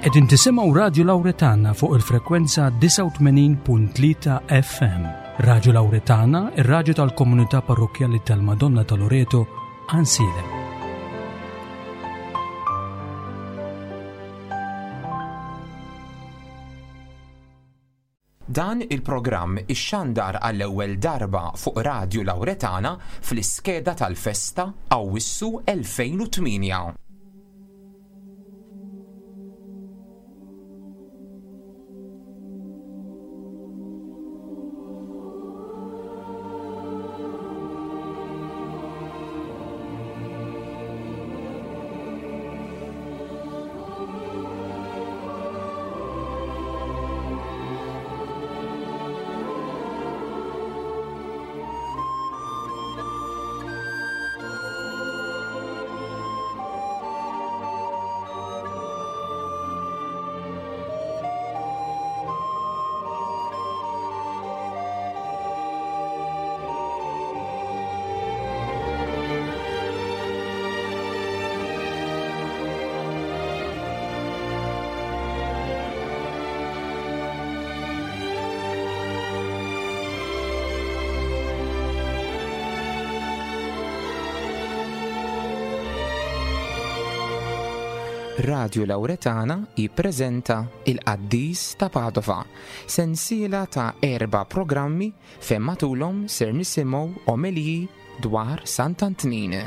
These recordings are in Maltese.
Qegħdin tisimgħu Radju Lawretana fuq il-frekwenza 89.3 FM. Radju Lawretana, ir-radju tal-komunità parrokkjali tal-Madonna ta' Loreto, Ansilem. Dan il-programm ixxandar għall-ewwel darba fuq Radju Lawretana fl-iskeda tal-festa Awwissu 2008. Radju Lawretana jippreżenta Il-Qaddis ta' Padova, sensiela ta' erba' programmi fejn matulhom ser nisimgħu omeliji dwar Sant'Antnin.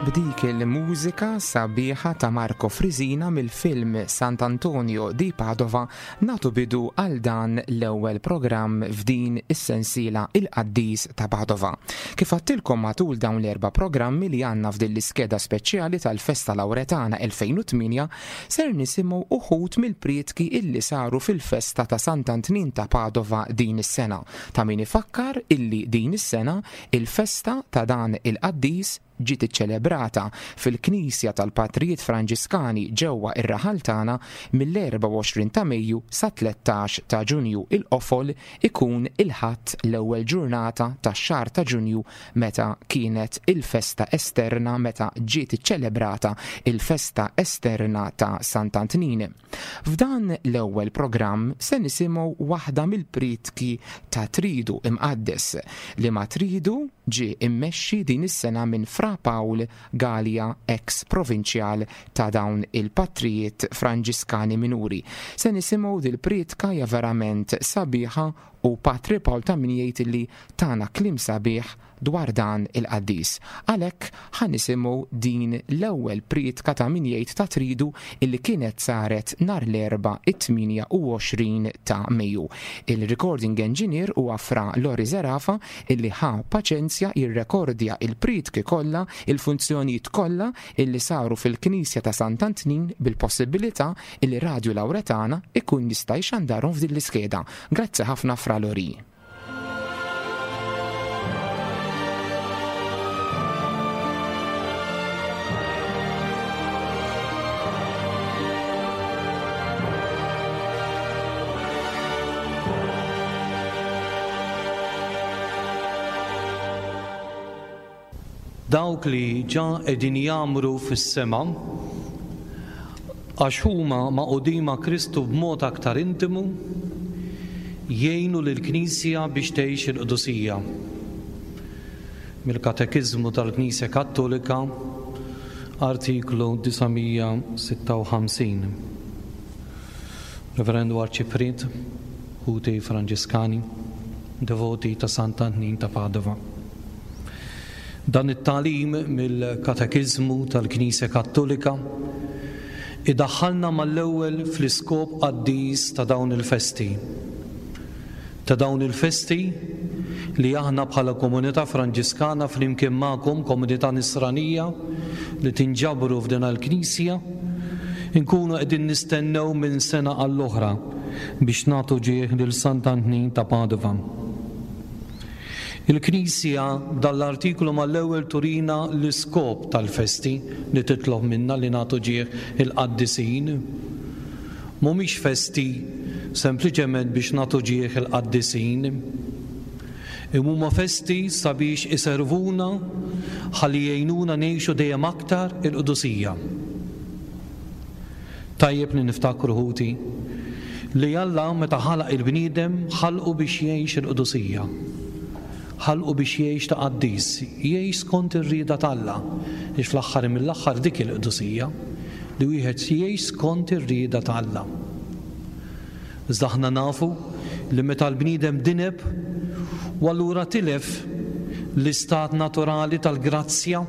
B'dik il-mużika sabiħa ta' Marco Frisina mill-film Sant'Antonio di Padova nagħtu bidu għal dan l-ewwel programm f'din is-sensiela Il-Qaddis ta' Padova. Kif għadtilkom matul dawn l-erba' programmi li għandna f'din l-iskeda speċjali tal-Festa Lawretana 2008 ser nisimgħu uħud mill-prietki illi saru fil-festa ta' Sant'Antnin ta' Padova din is-sena. Ta' min ifakkar illi din is-sena il-festa ta' dan il-qaddis ġiet iċċelebrata fil-Knisja tal-Patrijiet Franġiskani ġewwa r-raħal tagħna mill-24 ta' Mejju sat-13 ta' Ġunju. Il-qofol ikun il-Ħadd l-ewwel ġurnata tax-xahar ta' Ġunju meta kienet il-festa esterna meta ġiet iċċelebrata il-festa esterna ta' Sant'Antnin. F'dan l-ewwel programm se nisimgħu waħda mill-prietki ta' Tridu Imqaddes, liema tridu ġie mmexxi din is-sena minn Fra Pawl Galea eks Provinċjal ta' dawn il-Patrijiet Franġiskani Minuri. Se nisimgħu dil-prietka hija verament sabiħa u Patri Pawl ta' min jgħid illi tana kliem sabiħ dwar dan il-qaddis. Għalhekk ħa nisimgħu din l-ewwel prietka ta' min jgħid ta' Tridu illi kienet saret nhar l-Erbgħa it-28 ta' Mejju. Il-recording engineer huwa Fra Lori Zerafa illi ħa paċenzja jirrekordja il-prietki kollha, il-funzjonijiet kollha illi saru fil-Knisja ta' Sant'Antnin bil-possibilità illi Radju Lawretana ikun jista' jxandarhom f'din l-iskeda. Grazzi ħafna Fra Lori. Dawk li ġa qegħdin jgħammru fis-sema, għax huma magħqudin ma' Kristu b'mod aktar intimu, jgħinu lill-Knisja biex tgħix il-qdusija. Mill-Katekiżmu tal-Knisja Kattolika, artiklu 956. Reverendu Arċipriet, ħuti Franġiskani, devoti ta' Sant'Antnin ta' Padova. Dan it-tagħlim mill-Katekiżmu tal-Knisja Kattolika. Idaħħalna mal-ewwel fl-iskop qaddis ta' dawn il-festi. Ta' dawn il-festi li aħna bħala komunità Franġiskana flimkien magħkom, komunità Nisranija li tinġabru f'din il-knisja, inkunu qegħdin nistennew minn sena għall-oħra biex nagħtu ġieħ lil Sant'Antnin ta' Padova. Il-Knisja b'dan l-artiklu mal-ewwel turina l-iskop tal-festi li titlob minna li nagħtu ġieħ il-qaddisin. Mhumiex festi sempliċement biex nagħtu ġieħ il-qaddisin. Imma huma festi sabiex iservuna ħalli jgħinuna ngħixu dejjem aktar il-qdusija. Tajjeb li niftakru ħuti, li Alla meta ħalaq il-bniedem ħalqu biex jgħix il-qdusija. Ħalqu biex jgħix ta' qaddis, jgħix skont ir-rieda t'Alla, għax fl-aħħar mill-aħħar dik il-qdusija, li wieħed jgħix skont ir-rieda t'Alla. Iżda aħna nafu li meta l-bniedem dineb u allura tilef l-istat naturali tal-grazzja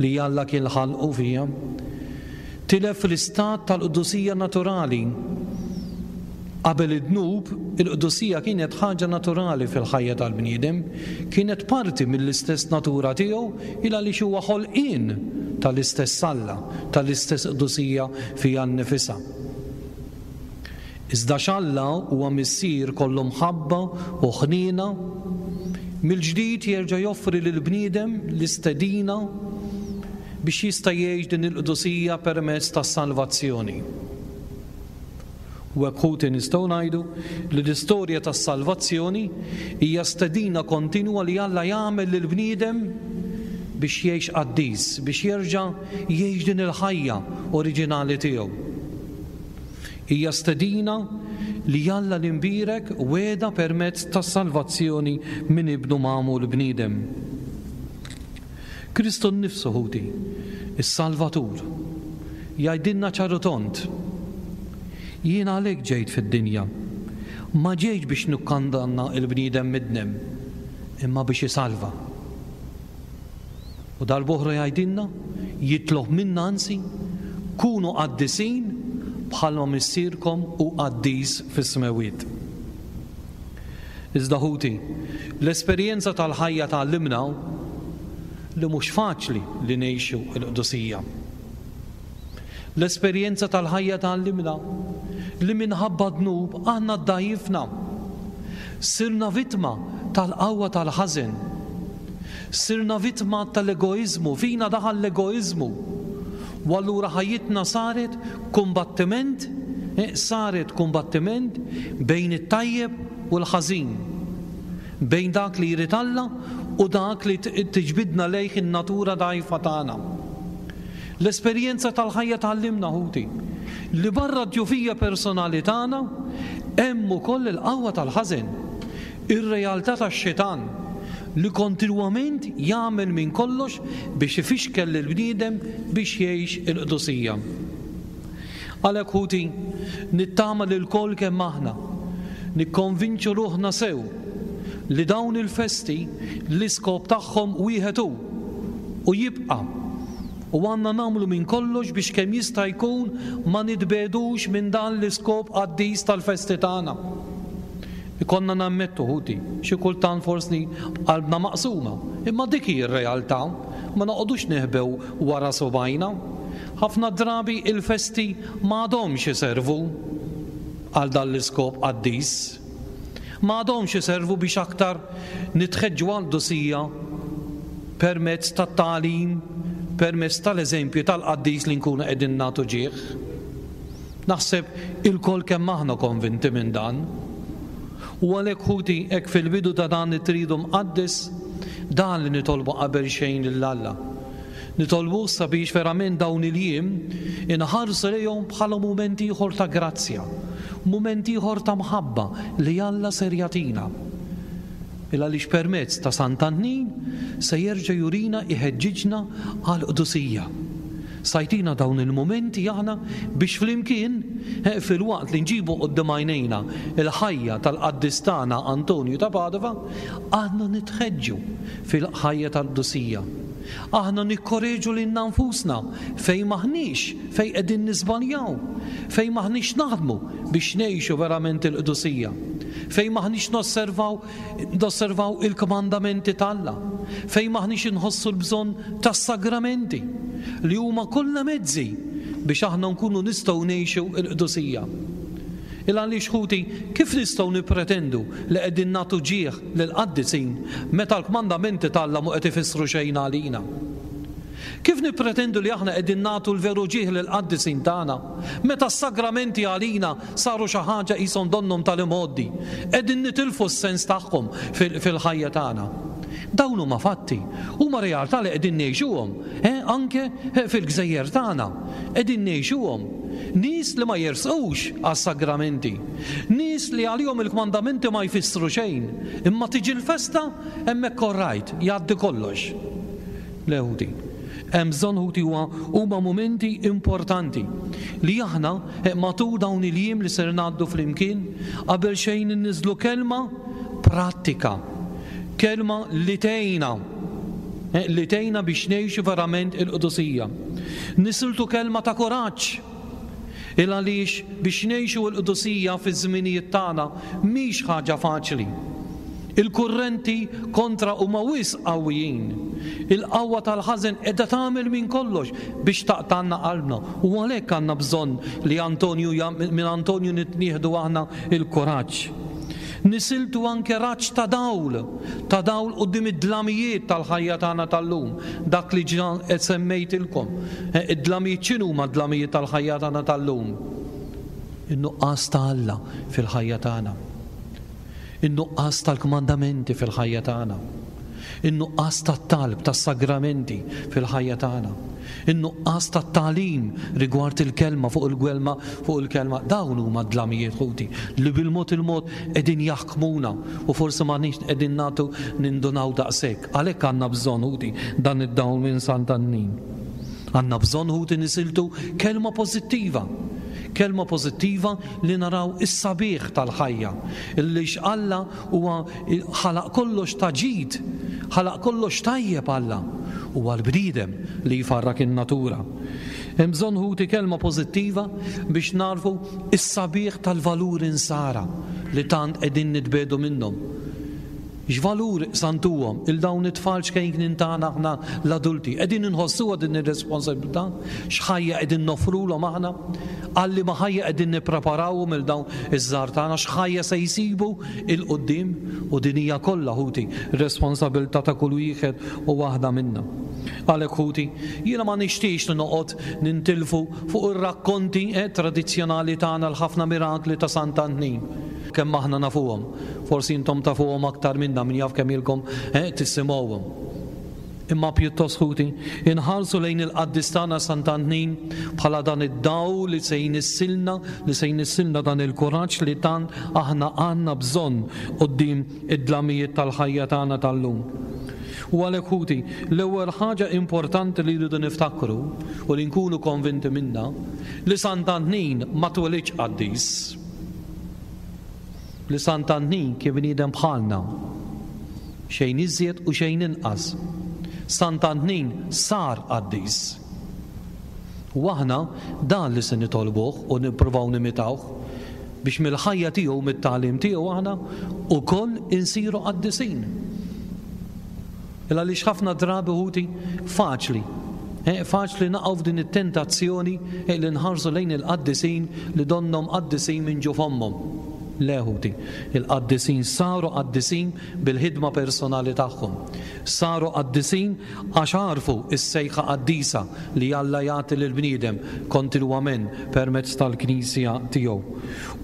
li Alla kien ħalqu fiha, tilef l-istat tal-qdusija naturali. Qabel id-dnub, il-qdusija kienet ħaġa naturali fil-ħajja tal-bniedem, kienet parti mill-istess natura tiegħu il għaliex huwa ħolqien tal-istess Alla, tal-istess qdusija fiha nnifisha. Iżda x'Alla huwa Missier kollu mħabba u ħniena, mill-ġdid jerġa' joffri lill-bniedem l-istedina biex jista' jgħix din il-qdusija permezz tas-salvazzjoni. U hekk ħuti nistgħu ngħidu li l-istorja tas-salvazzjoni hija stedina kontinwa li Alla jagħmel lill-bniedem biex jgħix qaddis, biex jerġa' jgħix din il-ħajja oriġinali tiegħu. Hija stedina li Alla l-Imbierek wegħda permezz tas-salvazzjoni minn Ibnu magħmul bniedem. Kristu nnifsu, ħuti, is-Salvatur, jgħidilna ċar u tond, Jien għalhekk ġejt fid-dinja. Ma ġejtx biex nikkandanna l-bniedem midneb, imma biex isalva. U darb'oħra jgħidilna, jitlob minna anzi, Kunu qaddisin bħalma Missierkom hu qaddis fis-smewwiet. Iżda ħuti, l-esperjenza tal-ħajja tgħallimna li mhux faċli li ngħixu l-qdusija. L-esperjenza tal-ħajja tgħallimna li minħabba d-dnub aħna ddgħajjifna. Sirna vittma tal-qawwa tal-ħażen. Sirna vittma tal-egoiżmu, fina daħal l-egoiżmu. U allura ħajjitna saret kumbattiment, eh, saret kumbattiment bejn it-tajjeb u l-ħażin. Bejn dak li jrid Alla u dak li tiġbidna lejh in-natura dgħajfa tagħna. L-esperjenza tal-ħajja tgħallimna, ħuti, li barra d-djufija personali tagħna hemm ukoll il-qawwa tal-ħażen, ir-realtà tax-xitan li kontinwament jagħmel minn kollox biex ifixkel lill-bniedem biex jgħix il-qdusija. Għalhekk ħuti, nittama li lkoll kemm aħna nikkonvinċu ruħna sew li dawn il-festi l-iskop tagħhom wieħed hu u jibqa' u għandna nagħmlu minn kollox biex kemm jista' jkun ma nitbiegħdux minn dan l-iskop qaddis tal-festi tagħna. Ikollna nammettu ħuti, xi kultant forsi b'qalbna maqsuma, imma dik hi r-realtà, ma noqogħdux neħbew wara subgħajna. Ħafna drabi il-festi ma għadhomx iservu għal dan l-iskop qaddis. Ma għadhomx iservu biex aktar nitħeġġu għall-qdusija permezz tat-tagħlim, permezz tal-eżempju tal-qaddis li nkunu qegħdin nagħtu ġieħ. Naħseb ilkoll kemm aħna konvinti minn dan. U għalhekk ħuti hekk fil-bidu ta' dan it-Tridu Mqaddes, dan li nitolbu qabel xejn lil Alla. Nitolbuh sabiex verament dawn il-jiem inħarsu lejhom bħala mument ieħor ta' grazzja, mument ieħor ta' mħabba li Alla ser jagħtina. Il għaliex permezz ta' Sant'Antnin se jerġa' jurina jħeġġiġna għall-qdusija. Sa jtina dawn il-mumenti aħna biex flimkien, filwaqt li nġibu quddiem għajnejna l-ħajja tal-qaddis tagħna Antonju ta' Padova, aħna nitħeġġu fil-ħajja tal-qdusija. Aħna nikkoreġu lilna nfusna fejn m'aħniex, fejn qegħdin niżbaljaw, fejn m'aħniex naħdmu biex ngħixu verament il-qdusija, fejn m'aħniex nosservaw nosservaw il-kmandamenti t'Alla, fejn m'aħniex inħossu l-bżonn tas-sagramenti, li huma kollha mezzi biex aħna nkunu nistgħu ngħixu l-qdusija. Il għaliex ħuti, kif nistgħu nippretendu li qegħdin nagħtu ġieħ lill-qaddisin meta l-kmandamenti t'Alla mhu qed ifissru xejn għalina? Kif nippretendu li aħna qegħdin nagħtu l-veru ġieħ lill-qaddisin tagħna meta s-sagramenti għalina saru xi ħaġa qishom donnhom tal-imgħoddi, qegħdin nitilfu s-sens tagħhom fil-ħajja tagħna? Dawn huma fatti, huma realtà li qegħdin ngħixuhom, eh, anke fil-gżejjer tagħna. Qegħdin ngħixuhom. Nies li ma jersqux għas-sagramenti. Nies li għalihom il-kmandamenti ma jfissru xejn. Imma tiġi l-festa, hemmhekk all right, jgħaddi kollox. Le ħuti. Hemm bżonn ħuti huwa huma mumenti importanti li aħna eh, matul dawn il-jiem li ser ngħaddu flimkien qabel xejn inniżlu kelma prattika. Kelma li tgħinna eh, li tgħinna biex ngħixu verament il-qdusija. Nisiltu kelma ta' kuraġġ il għaliex biex ngħixu l-qdusija fiż-żminijiet tagħna mhix ħaġa faċli. Il-kurrenti kontra huma wisq qawwijin. Il-qawwa tal-ħażen qiegħda tagħmel minn kollox biex taqtgħalna qalbna u għalhekk għandna bżonn li Antonju minn Antonju nieħdu aħna l-kuraġġ. Nisiltu anke raġġ ta' dawl, ta' dawl quddiem id-dlamijiet tal-ħajja tagħna tal-lum, dak li ġa semmejtilkom. Id-dlamijiet x'inhuma d-dlamijiet tal-ħajja tagħna tal-lum? In-nuqqas ta' Alla fil-ħajja tagħna. In-nuqqas tal-kmandamenti fil-ħajja tagħna. In-nuqqas tat-talb, tas-sagramenti fil-ħajja tagħna. In-nuqqas tat-tagħlim rigward il-kelma fuq il-kelma fuq il-kelma. Dawn huma d-dlamijiet ħuti li bil-mod il-mod qegħdin jaħkmuna u forsi m'aħniex qegħdin nagħtu nindunaw daqshekk. Għalhekk għandna bżonn ħuti dan id-dawl minn Sant'Annin. Għandna bżonn ħuti nisiltu kelma pożittiva. Kelma pożittiva li naraw is-sabiħ tal-ħajja, illi Alla huwa ħalaq kollox ta' ġid, ħalaq kollox tajjeb Alla. Huwa l-bniedem li jfarrak in-natura. Hemm bżonn ħuti kelma pożittiva biex nagħrfu s-sabiħ tal-valuri nsara li tant qegħdin nitbiegħdu minnhom. X'valur sa ntuhom 'il dawn it-tfal ċkejknin tagħna aħna l-adulti? Qegħdin inħossuha din ir-responsabilità? X'ħajja qegħdin noffrulhom aħna? Għal liema ħajja qegħdin nippreparawhom 'il dawn iż-żgħar tagħna? X'ħajja se jsibu 'il quddiem? U din hija kollha, ħuti, responsabilità ta' kull wieħed u waħda minna. Għalhekk, ħuti, jiena ma nixtieqx li noqgħod nintilfu fuq ir-rakkonti eh, tradizzjonali tagħna l-ħafna mirakli ta' Sant'Antnin. Kemm aħna nafuhom. Forsi intom tafuhom aktar minna, min jaf kemm ilkom eh, tisimgħuhom. Imma pjuttost ħuti, inħarsu lejn il-qaddis tagħna Sant'Antnin bħala dan id-dawl li se jnissilna, li se jnissilna dan il-kuraġġ li tant aħna għandna bżonn quddiem id-dlamijiet tal-ħajja tagħna tal-lum. U għalhekk ħuti, l-ewwel ħaġa importanti li rridu niftakru u li nkunu konvinti minnha li Sant'Antnin ma twelidx qaddis. Li Sant'Antnin kien bniedem bħalna, xejn iżjed u xejn inqas. Sant'Antnin sar qaddis. U aħna dan li se nitolbuh u nippruvaw nimitawh biex mill-ħajja tiegħu u mit-tagħlim tiegħu aħna wkoll insiru qaddisin. Il għaliex ħafna drabi ħuti faċli eh, faċli naqgħu f'din it-tentazzjoni eh, li nħarsu lejn il-qaddisin li donnhom qaddisin minn ġo fommhom. Le ħuti, il-qaddisin saru qaddisin bil-ħidma personali tagħhom. Saru qaddisin għax għarfu s-sejħa qaddisa li Alla jagħti lill-bniedem kontinwament permezz tal-Knisja tiegħu.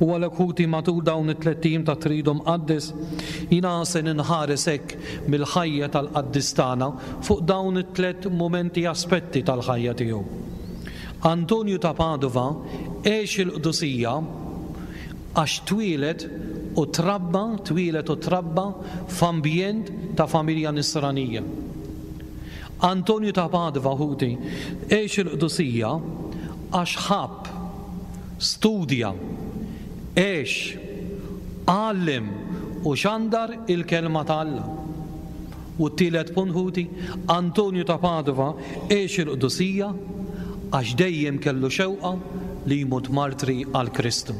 U għalhekk ħuti matul dawn it-tlett ijiem ta' Tridu Mqaddes, jiena se ninħares hekk mill-ħajja tal-qaddis tagħna fuq dawn it-tlett mumenti aspetti tal-ħajja tiegħu. Antonju ta' Padova għex il-qdusija għax twieled u trabba twieled u trabba f'ambjent ta' familja nisranija. Antonju ta' Padova, ħuti, għex il-qdusija għax ħabb, studja, għex, għallem u xandar il-Kelma ta' Alla. U t-tielet punt ħuti, Antonju ta' Padova għex il-qdusija għax dejjem kellu xewqa li jmut martri għal Kristu.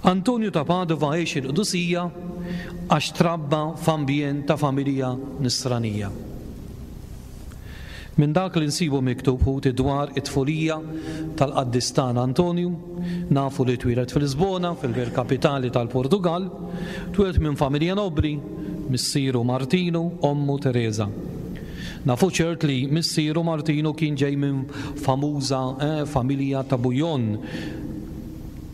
Antonju ta' Padova għex il-qdusija għax trabba f'ambjent ta' familja nisranija. Minn dak li nsibu miktub ħuti dwar it-tfulija tal-qaddis tagħna Antonju, nafu li twieled f'Lisbona, fil-belt kapitali tal-Portugall, twieled minn familja nobbli, missieru Martinu, ommu Tereża. Nafu ċert li missieru Martinu kien ġej minn famuża familja ta' Bouillon,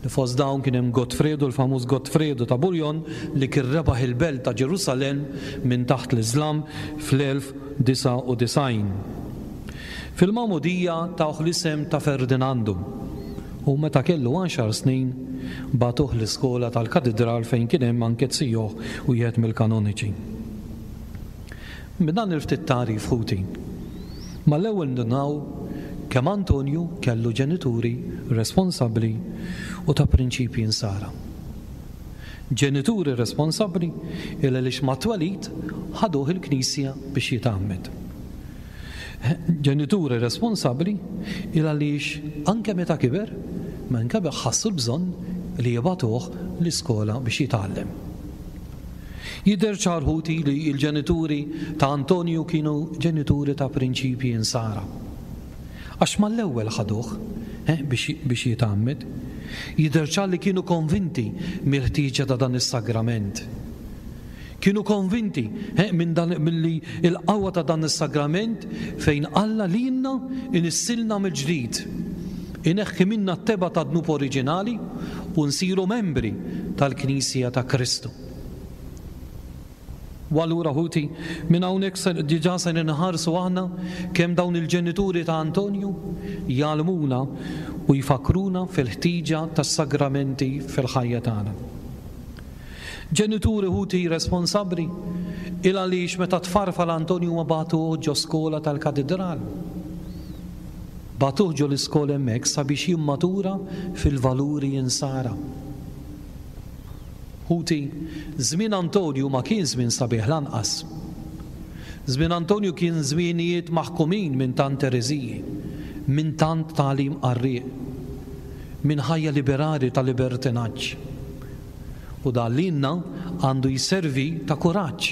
li fost dawn kien hemm Gottfredu, l-famuż Gottfredu ta' Bouillon, li kien rebaħ il-belt ta' Ġerusalemm minn taħt l-Iżlam fl-1000 99. Fil-magħmudija tawh l-isem ta' Ferdinandu u meta kellu għaxar snin bagħtuh l-iskola tal-katidral fejn kien hemm anke zijuh wieħed mill-kanoniċi. Minn dan il-ftit tagħrif ħuti, mal-ewwel ndunaw kemm Antonju kellu ġenituri responsabbli u ta' prinċipji nsara. Ġenituri responsabbli il għaliex mat-twelid ħaduh il-knisja biex jitgħammed. Ġenituri responsabbli il għaliex anke meta kiber, minn kiber ħassu l-bżonn li jibagħtuh l-iskola biex jitgħallem. Jidher ċar ħuti li l-ġenituri ta' Antonju kienu ġenituri ta' prinċipji insara. Għax mal-ewwel ħaduh biex biex jitgħammed. Jidher ċar li kienu konvinti mill-ħtieġa ta' dan is-sagrament. Kienu konvinti minn dan milli l-qawwa ta' dan is-sagrament fejn Alla lilna inissilna mill-ġdid. Ineħħi minna t-tebgħa tad-dnub oriġinali u nsiru membri tal-Knisja ta' Kristu. U allura, ħuti, minn hawnhekk se diġà se ninħarsu aħna kemm dawn il-ġenituri ta' Antonju jgħallmuna u jfakkruna fil-ħtieġa tas-sagramenti fil-ħajja tagħna. Ġenituri, ħuti, responsabbli, il għaliex meta tfarfar Antonju ma bagħtuh ġo skola tal-katidral. Bagħtuh ġo l-iskola hemmhekk sabiex jimmatura fil-valuri insara. Ħuti, żmien Antonju ma kien żmien sabiħ lanqas. Żmien Antonju kien żmienijiet maħkumin minn tant ereżiji, minn tant tagħlim qarrieq, minn ħajja liberali ta' libertinaġġ. U dan lilna għandu jservi ta' kuraġġ.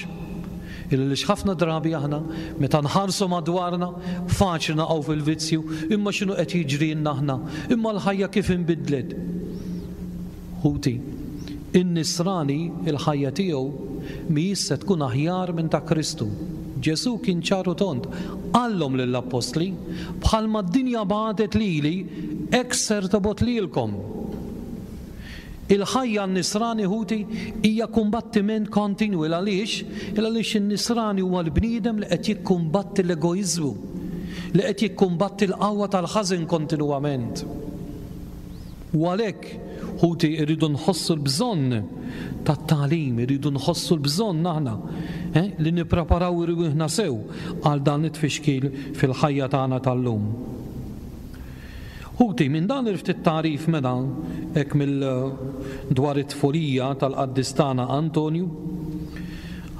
Għaliex ħafna drabi aħna meta nħarsu madwarna faċli naqgħu fil-vizzju, imma x'inhu qed jiġrilna aħna, imma l-ħajja kif inbidlet. Ħuti, in-Nisrani l-ħajja tiegħu mhijiex se tkun aħjar minn ta' Kristu. Ġesù kien ċar u tond, qallhom lill-appostli, Bħalma d-dinja bagħtet lili, hekk ser tobgħod lilkom. Il-ħajja għan-Nisrani, ħuti, hija kumbattiment kontinwu. Il għaliex? Il għaliex in-Nisrani huwa l-bniedem li qed jikkumbatti l-egoiżmu, li qed jikkumbatti l-qawwa tal-ħażen kontinwament. U għalhekk, ħuti, irridu nħossu l-bżonn tat-tagħlim, irridu nħossu l-bżonn aħna eh, li nippreparaw irwieħna sew għal dan it-tfixkil fil-ħajja tagħna tal-lum. Ħuti, minn dan il-ftit tagħrif mela hekk mill dwar it-tfulija tal-qaddis tagħna Antonju,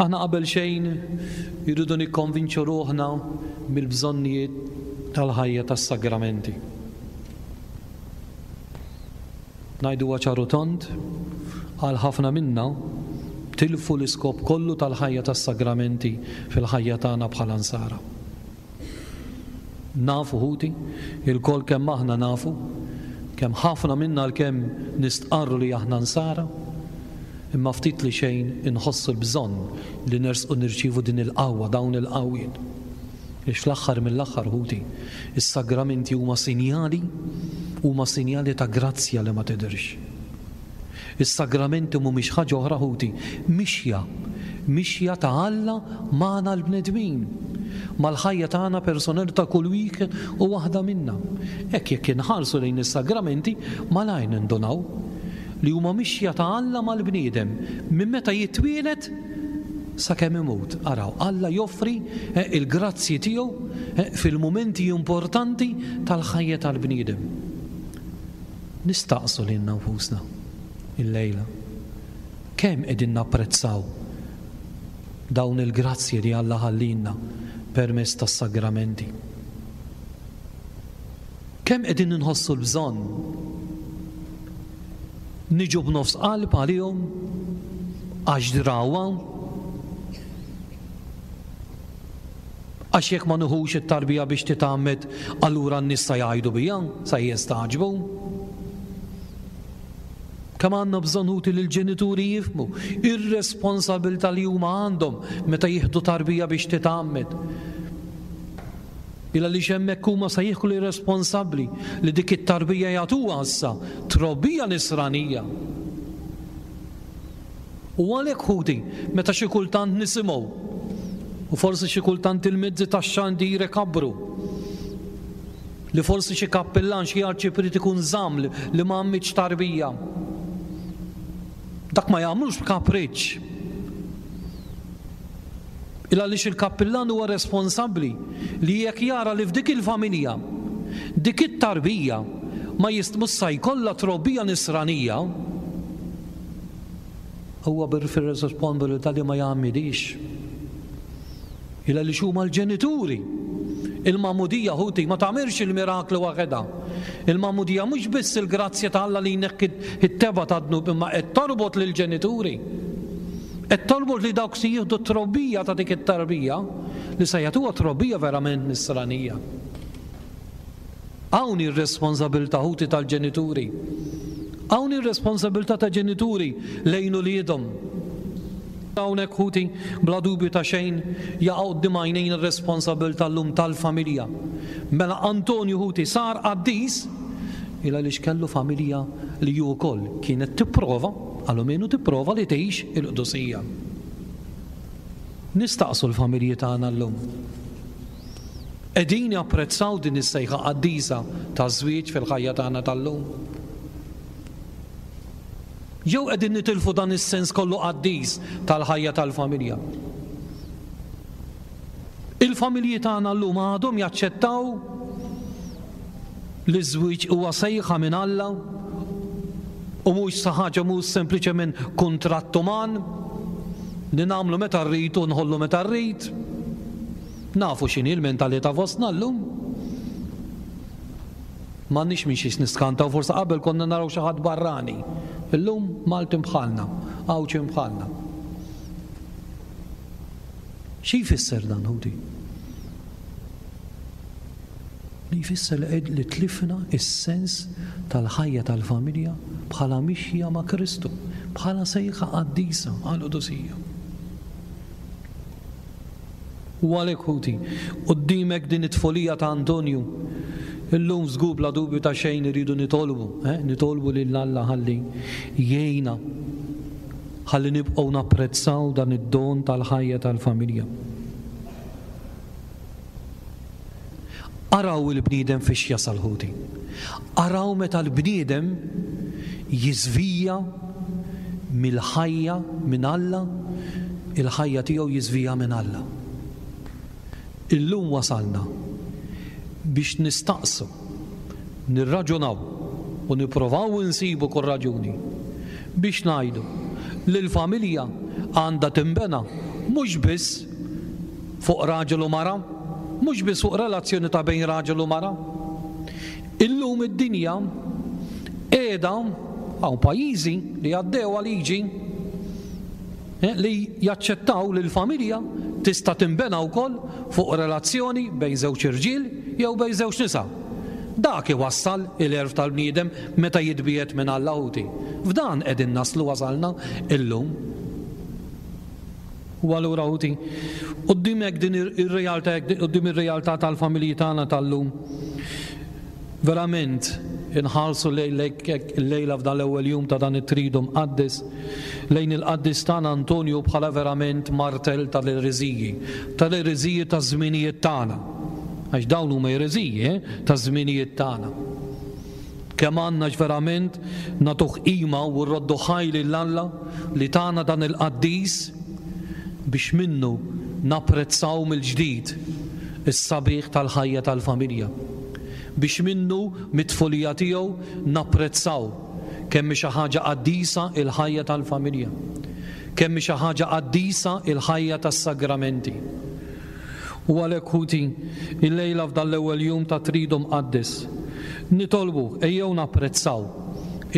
aħna qabel xejn irridu nikkonvinċu ruħna mill-bżonnijiet tal-ħajja tas-sagramenti. Ngħiduha ċar u tond, għal ħafna minna, tilfu l-iskop kollu tal-ħajja tas-sagramenti fil-ħajja tagħna bħala Nsara. Nafu ħuti, ilkoll kemm aħna nafu, kemm ħafna minna għalkemm nistqarru li aħna Nsara, imma ftit li xejn inħossu l-bżonn li nersqu nirċievu din il-qawwa, dawn il-qawwiet. Għax fl-aħħar mill-aħħar, ħuti, is-sagramenti huma sinjali, huma sinjali ta' grazzja li ma tidhirx. Is-sagramenti mhumiex ħaġa oħra, ħuti, mixja, mixja ta' Alla magħna l-bnedmin, mal-ħajja tagħna personali ta' kull wieħed u waħda minna. Hekk jekk inħarsu lejn is-sagramenti, malajr nindunaw li huma mixja ta' Alla mal-bniedem minn meta jitwieled sakemm imut. Araw, Alla joffri l-grazzji tiegħu fil-mumenti importanti tal-ħajja tal-bniedem. Nistaqsu lilna nfusna illejla, kemm qegħdin napprezzaw? dawn il-grazzji li Alla ħallielna permezz tas-sagramenti. Kemm qegħdin inħossu l-bżonn niġu b'nofs qalb għalihom għax drawha Għax jekk ma nieħux it-tarbija biex titgħammed allura n-nies sa jgħidu bija, sa jistagħġbu. Kemm għandna bżonn ħuti li l-ġenituri jifhmu ir-responsabilità li huma għandhom meta jieħdu tarbija biex titgħammed. Il għaliex hemmhekk huma se jieħdu li responsabbli li dik it-tarbija jagħtuha issa trobbija nisranija. U għalhekk ħuti, meta xi kultant nisimgħu, u forsi xi kultant il-mezzi tax-xandir ikabbru, li forsi xi kappillan, xi arċipriet ikun żamm li ma għammitx tarbija. Dak ma jagħmlux b'kapriċċ. Il għaliex il-kappillan huwa responsabbli li jekk jara li f'dik il-familja dik it-tarbija ma jist mhux sa jkollha trobbija nisranija, huwa fir-responsabilità li ma jgħammidhiex. Il għaliex huma l-ġenituri. Il-magħmudija ħuti ma tagħmilx il-mirakli waħedha. Il-magħmudija mhux biss il-grazzja ta' Alla li jneħħi t-tebgħa tad-dnub imma qed torbot lill-ġenituri. Qed torbot li dawk se jieħdu t-trobbija ta' dik it-tarbija li se jagħtuha trobbija verament nisranija. Hawn hi r-responsabilità ħuti tal-ġenituri. Hawn hi r-responsabilità ta' ġenituri lejn uliedhom. Hawnhekk ħuti, bla dubju ta' xejn, jaqa' quddiem għajnejna r-responsabilità llum tal-familja. Mela Antonju ħuti sar qaddis il għaliex kellu familja li hu wkoll kienet tipprova, almenu tipprova li tgħix il-qdusija. Nistaqsu l-familji tagħna llum. Qegħdin japprezzaw din is-sejħa qaddisa taż-żwieġ fil-ħajja tagħna tal-lum? Jew qegħdin nitilfu dan is-sens kollu qaddis tal-ħajja tal-familja? Il-familji tagħna llum għadhom jaċċettaw li ż-żwieġ huwa sejħa minn Alla u mhux sa ħaġa mhux sempliċement kuntratt uman li nagħmlu meta rrid u nħollu meta rrid. Nafu x'inhi l-mentalità fostna llum. M'għandniex minn xiex niskantaw, forsi qabel konna naraw xi ħadd barrani. Illum Maltin bħalna, Għawdxin bħalna. Xi jfisser dan, ħuti? Li jfisser li qed li tlifna s-sens tal-ħajja tal-familja bħala mixja ma' Kristu, bħala sejħa qaddisa għall-qdusija. U għalhekk, ħuti, quddiemek din it-tfulija ta' Antonju, illum żgur bla dubju ta' xejn irridu nitolbu, eh, nitolbu lil Alla ħalli jgħinna ħalli nibqgħu napprezzaw dan id-don tal-ħajja tal-familja. Araw il-bniedem fiex jasal ħuti. Araw meta l-bniedem jiżvija mill-ħajja minn Alla, il-ħajja tiegħu jiżvija minn Alla. Illum wasalna biex nistaqsu, nirraġunaw u nipprovaw insibu kull raġuni biex ngħidu li l-familja għandha tinbena mhux biss fuq raġel u mara, mhux biss fuq relazzjoni ta' bejn raġel u mara. Illum id-dinja qiegħda hawn pajjiżi li għaddewha liġi eh, li jaċċettaw li l-familja tista' tinbena wkoll fuq relazzjoni bejn żewġ irġiel jew bejn żewġ nisa. Dak iwassal il-għerf tal-bniedem meta jitbiegħed minn Alla ħuti. F'dan qegħdin naslu wasalna illum. U allura ħuti, quddiem hekk din ir-realtà, quddiem ir-realtà tal-familji tagħna tal-lum, verament inħarsu llejla f'dan l-ewwel jum ta' dan it-Tridu Mqaddes lejn il-qaddis tagħna Antonju bħala verament martell tal-ereżiji, tal-ereżiji taż-żminijiet tagħna. Għax dawn huma ereżiji eh, taż-żminijiet tagħna. Kemm għandna verament nagħtuh qima u rroddu ħaj lil Alla li tana dan il-qaddis biex minnu napprezzaw mill-ġdid is-sabiħ tal-ħajja tal-familja. Biex minnu, mit-tfulija tiegħu, napprezzaw kemm hi xi ħaġa qaddisa l-ħajja tal-familja. Kemm hi xi ħaġa qaddisa il-ħajja tas-sagramenti. U għalhekk ħuti, illejla f'dan l-ewwel jum ta' Tridu Mqaddes, nitolbu ejjew napprezzaw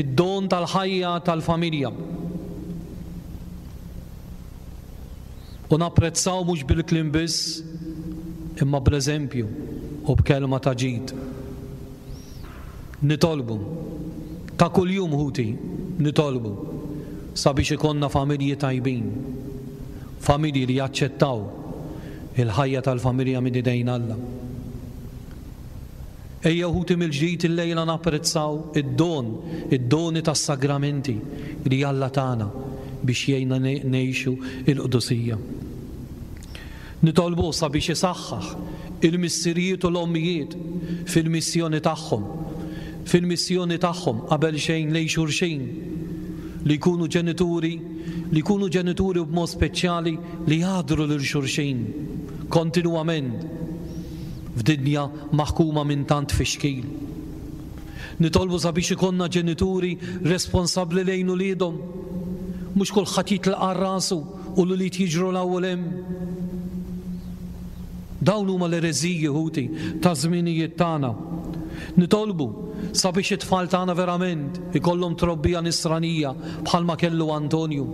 id-don tal-ħajja tal-familja. U napprezzaw mhux bil-kliem biss, imma bl-eżempju u b'kelma ta' ġid. Nitolbu, ta' kuljum ħuti, nitolbu sabiex ikollna familji tajbin, familji li jaċċettaw il-ħajja tal-familja minn idejn Alla. Ejjew ħuti mill-ġdid illejla napprezzaw id-don, id-doni tas-sagramenti li Alla tana biex jgħinna ngħixu l-qdusija. Nitolbuh sabiex isaħħaħ il-missirijiet u l-ommijiet fil-missjoni tagħhom, fil-missjoni tagħhom qabel xejn lejn xulxin, li jkunu ġenituri, li jkunu ġenituri b'mod speċjali li jagħdru lil xulxin kontinwament f'dinja maħkuma minn tant tfixkil. Nitolbu sabiex ikollna ġenituri responsabbli lejn uliedhom. Mhux kulħadd jitlaq għal rasu u l-ulied jiġru 'l hawn u 'l hemm. Dawn huma l-ereżiji, ħuti, taż-żminijiet tagħna. Nitolbu sabiex it-tfal tagħna verament ikollhom trobbija nisranija bħalma kellu Antonju.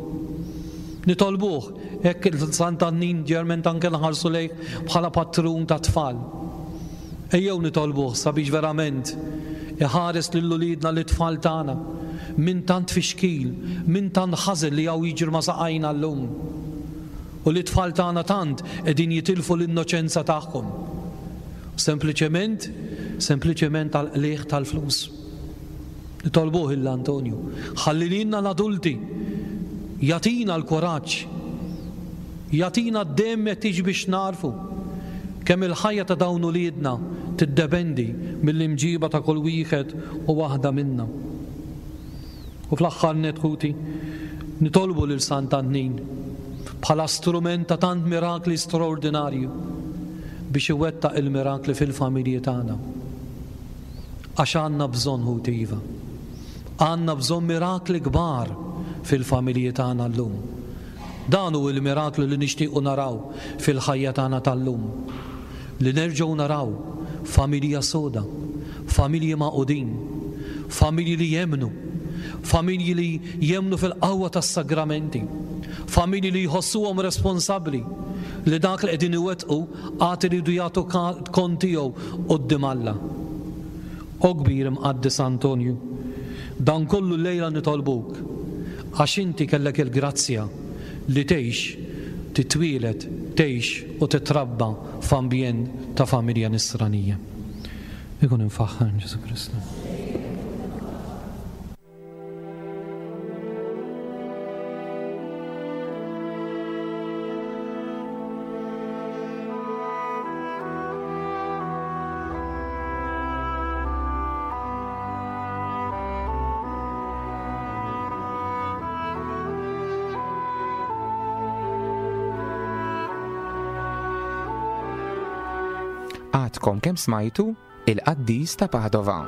Nitolbuh hekk il-Sant'Annin ġerment anke nħarsu lejh bħala patrun tat-tfal. Ejjew nitolbuh sabiex verament iħares lil uliedna lit-tfal tagħna minn tant tfixkil, minn tant ħażen li hawn jiġri ma' saqajna llum. U li t-tfal tagħna tant qegħdin jitilfu l-innoċenza tagħhom. Sempliċement, sempliċement għall-qligħ tal-flus. Nitolbuh lil Antonju, ħalli lilna l-adulti jagħtina l-kuraġġ, jagħtina d-demm meħtieġ biex nagħrfu kemm il-ħajja ta' dawn uliedna tiddependi mill-imġiba ta' kull wieħed u waħda minna. U fl-aħħar nett ħuti, nitolbu lil Sant'Antnin bħala strument ta' tant mirakli straordinarju biex iwettaq il-mirakli fil-familji tagħna. Għax għandna bżonn, ħuti iva. Għandna bżonn mirakli kbar fil-familji tagħna llum. Dan hu l-miraklu li nixtiequ naraw fil-ħajja tagħna tal-lum. Li nerġgħu naraw familja soda, familji magħqudin, familji li jemmnu, familji li jemmnu fil-qawwa tas-sagramenti, familji li jħossuhom responsabbli li dak li qegħdin iwettqu Għad iridu jagħtu kont tiegħu quddiem Alla. O kbir Imqaddes Antonju, dan kollu llejla nitolbuk, għax inti kellek il-grazzja li tgħix, titwieled, tgħix u titrabba f'ambjent ta' familja nisranija. Ikun imfaħħar Ġesù Kristu. Għadkom kemm smajtu Il-Qaddis ta' Padova.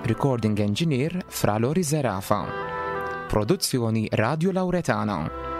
Recording Engineer Fra Lori Zerafa. Produzzjoni Radio Lauretana.